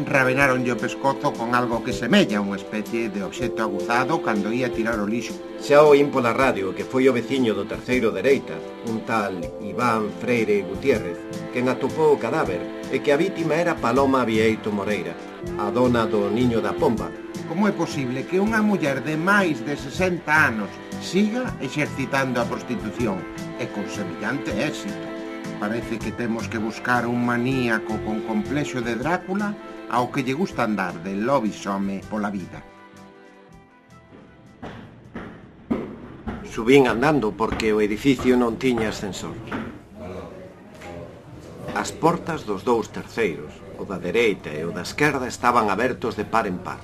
rabenaronlle o pescozo con algo que semella unha especie de obxecto aguzado cando ia tirar o lixo. Xa oín pola radio que foi o veciño do terceiro dereita, un tal Iván Freire Gutiérrez, quen atopou o cadáver e que a vítima era Paloma Vieito Moreira, a dona do Niño da Pomba. Como é posible que unha muller de máis de 60 anos siga exercitando a prostitución e con semellante éxito? Parece que temos que buscar un maníaco con complexo de Drácula ao que lle gusta andar de lobisome pola vida. Subín andando porque o edificio non tiña ascensor. As portas dos dous terceiros, o da dereita e o da esquerda, estaban abertos de par en par.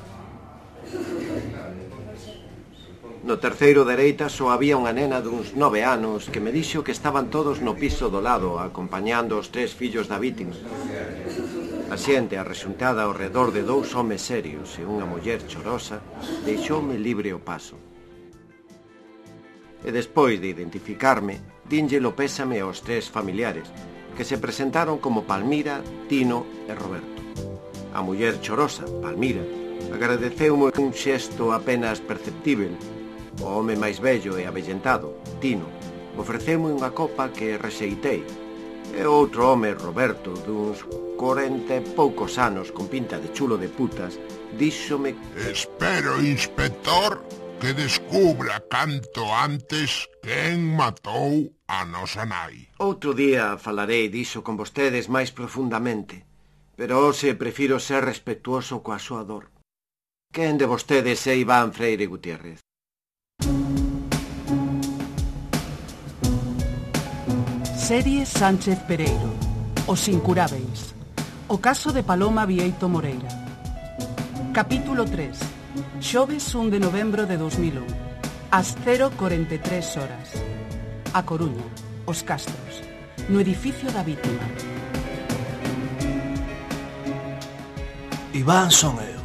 No terceiro dereita só había unha nena duns 9 anos que me dixo que estaban todos no piso do lado acompañando os 3 fillos da vítima. A xente arrexuntada ao redor de 2 homes serios e unha muller chorosa deixoume libre o paso. E despois de identificarme, dínlle o pésame aos 3 familiares, que se presentaron como Palmira, Tino e Roberto. A muller chorosa, Palmira, agradeceume un xesto apenas perceptível. O home máis vello e avellentado, Tino, ofreceume unha copa que rexeitei, e outro home, Roberto, duns 40 e poucos anos con pinta de chulo de putas, díxome: Espero, inspector, que descubra canto antes quen matou a nosa nai. Outro día falarei diso con vostedes máis profundamente, pero hoxe prefiro ser respetuoso coa súa dor. Quen de vostedes é Iván Freire Gutiérrez? Serie Sánchez Pereiro, Os Incurábeis, o caso de Paloma Vieito Moreira. Capítulo 3, xoves 1 de novembro de 2001, ás 0:43 horas. A Coruña, Os Castros, no edificio da vítima. Iván son eu.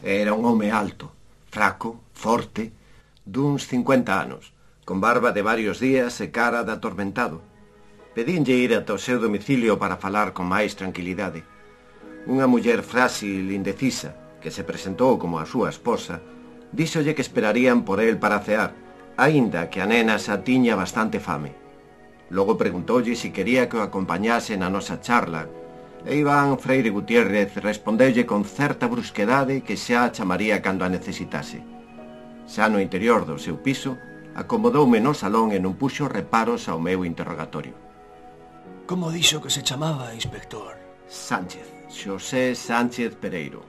Era un home alto, fraco, forte, duns 50 anos, con barba de varios días e cara de atormentado. Pedínlle ir ata o seu domicilio para falar con máis tranquilidade. Unha muller frágil e indecisa, que se presentou como a súa esposa, díxolle que esperarían por el para cear, aínda que a nena xa tiña bastante fame. Logo preguntoulle se quería que o acompañase na nosa charla, e Iván Freire Gutiérrez respondeulle con certa brusquedade que xa a chamaría cando a necesitase. Xa no interior do seu piso, acomodoume no salón e non puxo reparos ao meu interrogatorio. Como dixo que se chamaba, inspector? Sánchez, Xosé Sánchez Pereiro.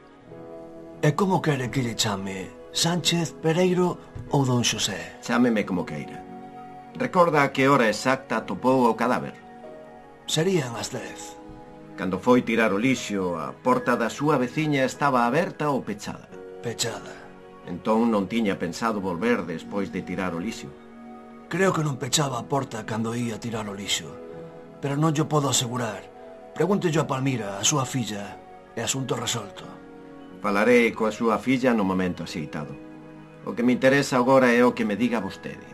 E como quere que lle chame? Sánchez Pereiro ou don Xosé? Chámeme como queira. Recorda a que hora exacta topou o cadáver? Serían as 10. Cando foi tirar o lixo, a porta da súa veciña estaba aberta ou pechada? Pechada. Entón non tiña pensado volver despois de tirar o lixo. Creo que non pechaba a porta cando ia tirar o lixo, pero non yo podo asegurar. Pregúntello a Palmira, a súa filla, e asunto resolto. Falarei coa súa filla no momento axeitado. O que me interesa agora é o que me diga vostede.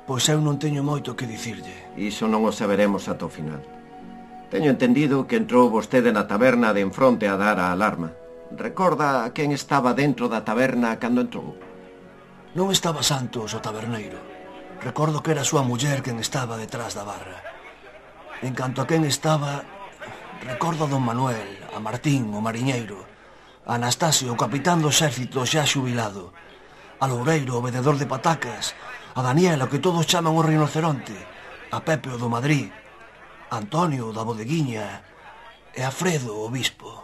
Pois eu non teño moito que dicirlle. Iso non o saberemos ata o final. Teño entendido que entrou vostede na taberna de enfronte a dar a alarma. Recorda quen estaba dentro da taberna cando entrou? Non estaba Santos, o taberneiro. Recordo que era a súa muller quen estaba detrás da barra. En canto a quen estaba, recordo a don Manuel, a Martín, o mariñeiro, a Anastasio, o capitán do exército xa xubilado, a Loureiro, o vendedor de patacas, a Daniela, o que todos chaman o rinoceronte, a Pepe, o do Madrid, a Antonio, o da bodeguiña, e a Fredo, o bispo.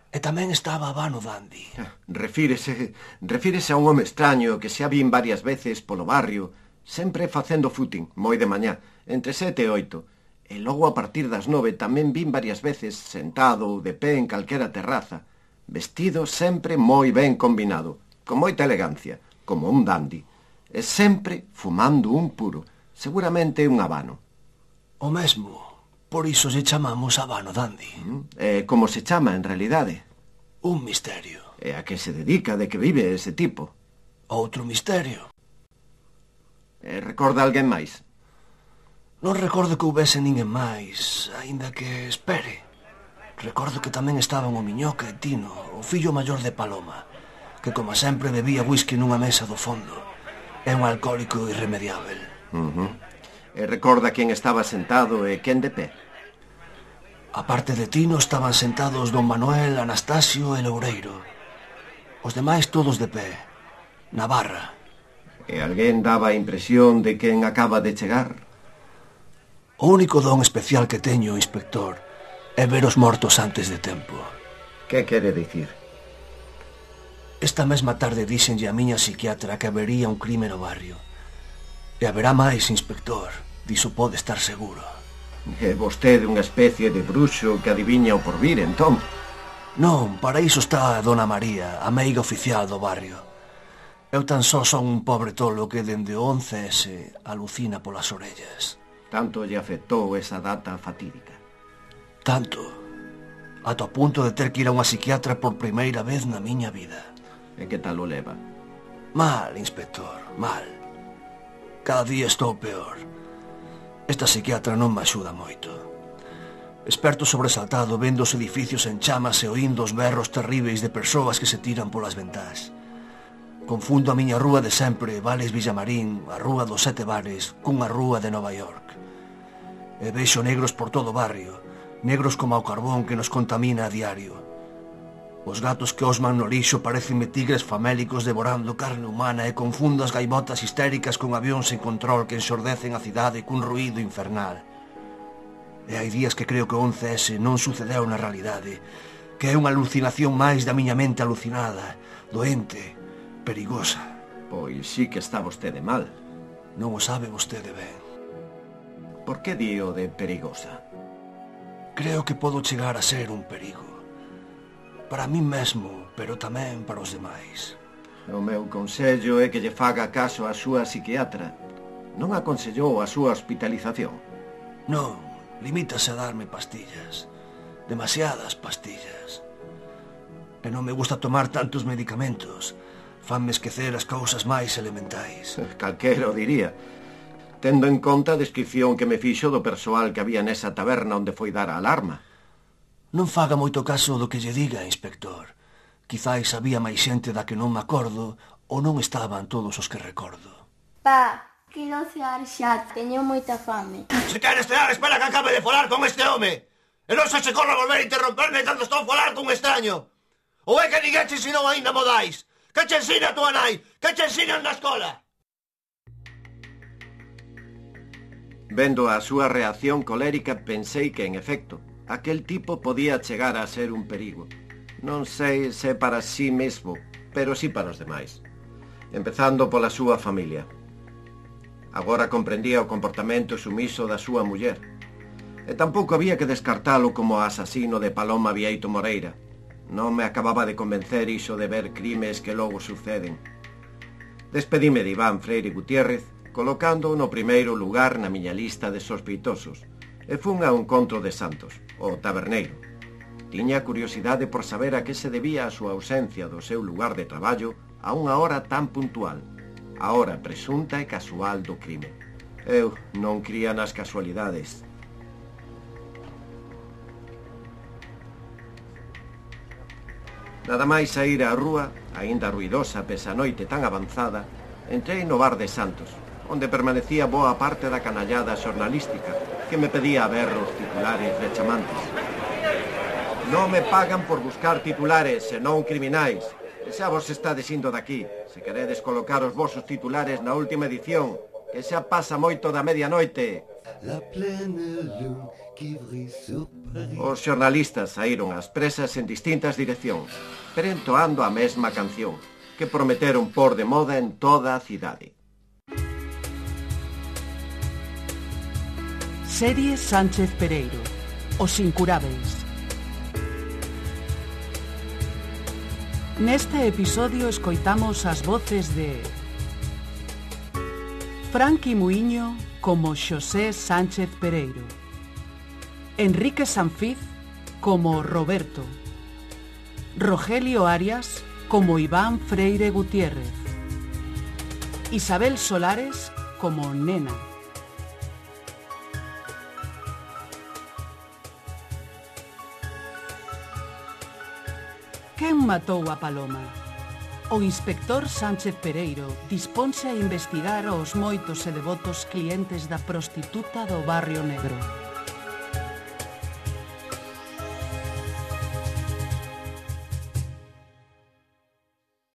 E tamén estaba Vano Dandi. Refírese a un home extraño que xa vin varias veces polo barrio, sempre facendo footing, moi de mañá, entre 7 e 8. E logo a partir das 9 tamén vin varias veces sentado ou de pé en calquera terraza, vestido sempre moi ben combinado, con moita elegancia, como un dandi, e sempre fumando un puro, seguramente un habano. O mesmo. Por iso se chamamos Habano Dandi. E como se chama en realidade? Un misterio. E a que se dedica, de que vive ese tipo? Outro misterio. E recorda alguén máis? Non recordo que houbese ninguén máis, aínda que espere. Recordo que tamén estaban o Miñoca e Tino, o fillo maior de Paloma, que como sempre bebía whisky nunha mesa do fondo. É un alcohólico irremediável. E recorda quen estaba sentado e quen de pé. A parte de Tino estaban sentados don Manuel, Anastasio e Loureiro. Os demais todos de pé, na barra. E alguén daba a impresión de quen acaba de chegar. O único don especial que teño, inspector, é ver os mortos antes de tempo. Que quere dicir? Esta mesma tarde díxenlle a miña psiquiatra que habería un crime no barrio. E haberá máis, inspector. Diso pode estar seguro. É vostede unha especie de bruxo que adiviña o porvir, entón? Non, para iso está a dona María, a meiga oficial do barrio. Eu tan só son un pobre tolo que dende o 11S alucina polas orellas. Tanto lle afectou esa data fatídica. Tanto. Ata o punto de ter que ir a unha psiquiatra por primeira vez na miña vida. E que tal o leva? Mal, inspector, mal. Cada día estou peor. Esta psiquiatra non me axuda moito. Esperto sobresaltado vendo os edificios en chamas e oindo os berros terríveis de persoas que se tiran polas ventás. Confundo a miña rúa de sempre, Vales Villamarín, a rúa dos 7 bares, cunha rúa de Nova York. E vexo negros por todo o barrio, negros como o carbón que nos contamina a diario. Os gatos que osman no lixo parecenme tigres famélicos devorando carne humana e confundo as gaivotas histéricas con avións sen control que ensordecen a cidade cun ruído infernal. E hai días que creo que o 11S non sucedeu na realidade, que é unha alucinación máis da miña mente alucinada, doente, perigosa. Pois sí que está vostede mal. Non o sabe vostede ben. Por que dío de perigosa? Creo que podo chegar a ser un perigo. Para mí mesmo, pero tamén para os demais. O meu consello é que lle faga caso á súa psiquiatra. Non aconsellou a súa hospitalización? Non, limítase a darme pastillas. Demasiadas pastillas. E non me gusta tomar tantos medicamentos. Fanme esquecer as cousas máis elementais. Calquera o diría. Tendo en conta a descripción que me fixo do persoal que había nesa taberna onde foi dar a alarma. Non faga moito caso do que lle diga, inspector. Quizáis había máis xente da que non me acordo ou non estaban todos os que recordo. Pa, quero cear xa, teño moita fame. Se queres cear, espera que acabe de falar con este home. E non se corra a volver a interromperme cando estou a falar con un extraño. Ou é que ninguén che ensinou aínda modais? Que che ensina a tua nai? Que che ensinan na escola? Vendo a súa reacción colérica, pensei que, en efecto, aquel tipo podía chegar a ser un perigo. Non sei se para sí mesmo, pero sí para os demais. Empezando pola súa familia. Agora comprendía o comportamento sumiso da súa muller. E tampouco había que descartalo como asasino de Paloma Vieito Moreira. Non me acababa de convencer iso de ver crimes que logo suceden. Despedime de Iván Freire Gutiérrez, colocando no primeiro lugar na miña lista de sospeitosos, e fun ao encontro de Santos, o taberneiro. Tiña curiosidade por saber a que se debía a súa ausencia do seu lugar de traballo a unha hora tan puntual, a hora presunta e casual do crime. Eu non cría nas casualidades. Nada máis saír á rúa, aínda ruidosa pese a noite tan avanzada, entrei no bar de Santos, onde permanecía boa parte da canallada xornalística, que me pedía a ver os titulares rechamantes. Non me pagan por buscar titulares, senón criminais. E xa vos estades indo daqui, se queredes colocar os vosos titulares na última edición, que xa pasa moito da medianoite. Os xornalistas saíron ás presas en distintas direccións, pero entoando a mesma canción, que prometeron pôr de moda en toda a cidade. Serie Sánchez Pereiro, Os Incurábeis. Neste episodio escoitamos as voces de Franqui Muiño como Xosé Sánchez Pereiro, Enrique Sanfiz como Roberto, Rogelio Arias como Iván Freire Gutiérrez, Isabel Solares como Nena, Quen matou a Paloma? O inspector Sánchez Pereiro disponse a investigar os moitos e devotos clientes da prostituta do Barrio Negro.